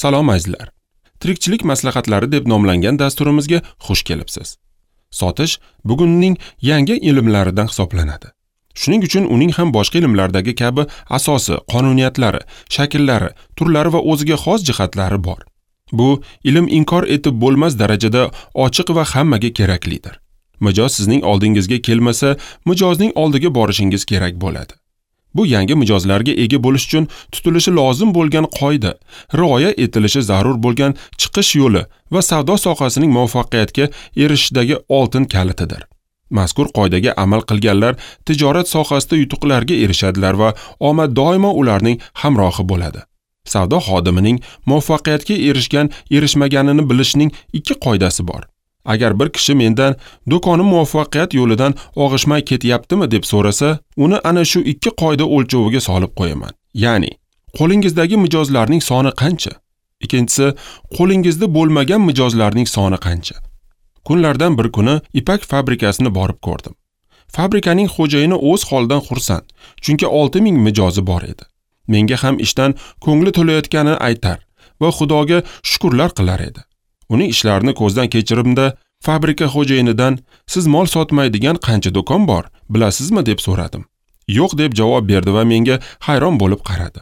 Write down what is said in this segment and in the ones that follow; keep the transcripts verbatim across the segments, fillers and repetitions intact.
Salom azizlar. Tirikchilik maslahatlari deb nomlangan dasturimizga xush kelibsiz. Sotish bugunning yangi ilmlaridan hisoblanadi. Shuning uchun uning ham boshqa ilmlardagi kabi asosi, qonuniyatlari, shakllari, turlari va o'ziga xos jihatlari bor. Bu ilm inkor etib bo'lmas darajada ochiq va hammaga keraklidir. Mijoz sizning oldingizga kelmasa, mijozning oldiga borishingiz kerak bo'ladi. Bu yangi mijozlarga ega bo'lish uchun tutilishi lozim bo'lgan qoida, rioya etilishi zarur bo'lgan chiqish yo'li va savdo sohasining muvaffaqiyatga erishishidagi oltin kalitidir. Mazkur qoidaga amal qilganlar tijorat sohasida yutuqlarga erishadilar va omad doimo ularning hamrohi bo'ladi. Savdo xodimining muvaffaqiyatga erishgan, erishmaganini bilishning ikki qoidasi bor. Agar bir kishi mendan do'konim muvaffaqiyat yo'lidan og'ishmay ketyaptimi deb so'rasa, uni ana shu ikki qoida o'lchoviga solib qo'yaman. Ya'ni, qo'lingizdagi mijozlarning soni qancha? Ikkinchisi, qo'lingizda bo'lmagan mijozlarning soni qancha? Kunlardan bir kuni ipak fabrikasini borib ko'rdim. Fabrikaning xo'jayini o'z holidan xursand, chunki olti ming mijozi bor edi. Menga ham ishdan ko'ngli to'layotganini aytar va Xudoga shukrlar qilar edi. Uning ishlarini ko'zdan kechirimda fabrika xo'jayinidan siz mol sotmaydigan qancha do'kon bor, bilasizmi deb so'radim. Yo'q deb javob berdi va menga hayron bo'lib qaradi.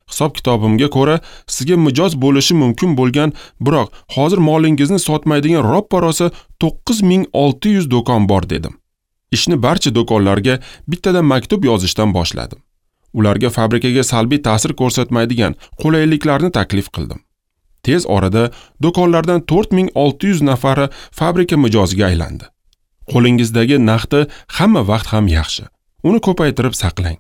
Hisob-kitobimga ko'ra, sizga mijoz bo'lishi mumkin bo'lgan, biroq hozir molingizni sotmaydigan roppa-rosa to'qqiz ming olti yuz do'kon bor dedim. Ishni barcha do'konlarga bittadan maktub yozishdan boshladim. Ularga fabrikaga salbiy ta'sir ko'rsatmaydigan qulayliklarni taklif qildim. Tez orada do'konlardan to'rt ming olti yuz nafari fabrika mijoziga aylandi. Qo'lingizdagi naqdi hamma vaqt ham yaxshi. Uni ko'paytirib saqlang.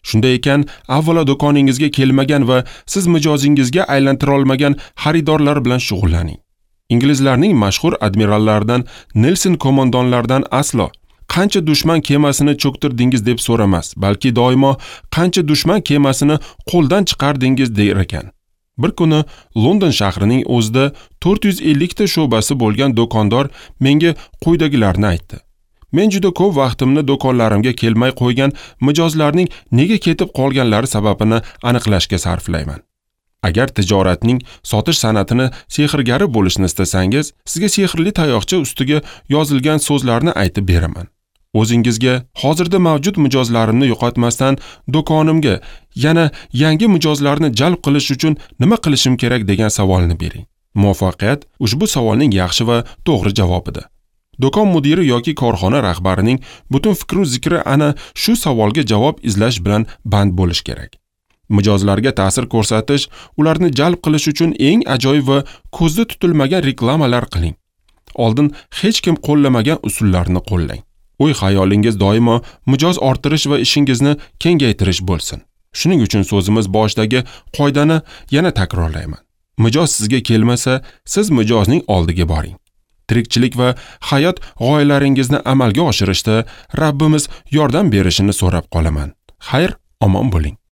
Shunday ekan, avvalo do'koningizga kelmagan va siz mijozingizga aylantira olmagan xaridorlar bilan shug'ullaning. Inglizlarning mashhur admirallaridan Nelson qo'mondonlaridan aslo qancha dushman kemasini cho'ktirdingiz deb so'ramas, balki doimo qancha dushman kemasini qo'ldan chiqardingiz der ekan. Bir kuni London shahrining o'zida to'rt yuz ellik ta sho'basi bo'lgan do'kondor menga quyidagilarni aytdi. Men juda ko'p vaqtimni do'konlarimga kelmay qo'ygan mijozlarning nega ketib qolganlari sababini aniqlashga sarflayman. Agar tijoratning sotish san'atini sehrgari bo'lishni istasangiz, sizga sehrli tayoqcha ustiga yozilgan so'zlarni aytib beraman. O'zingizga hozirda mavjud mijozlarimni yo'qotmasdan do'konimga yana yangi mijozlarni jalb qilish uchun nima qilishim kerak degan savolni bering. Muvaffaqiyat ushbu savolning yaxshi va to'g'ri javobidir. Do'kon mudiri yoki korxona rahbarining butun fikru zikri ana shu savolga javob izlash bilan band bo'lish kerak. Mijozlarga ta'sir ko'rsatish, ularni jalb qilish uchun eng ajoyib va ko'zda tutilmagan reklamalar qiling. Oldin hech kim qo'llamagan usullarni qo'llang. O'y xayolingiz doimo mijoz orttirish va ishingizni kengaytirish bo'lsin. Shuning uchun so'zimiz boshidagi qoidani yana takrorlayman. Mijoz sizga kelmasa, siz mijozning oldiga boring. Tirikchilik va hayot g'oyalaringizni amalga oshirishda Rabbimiz yordam berishini so'rab qolaman. Xayr, omon bo'ling.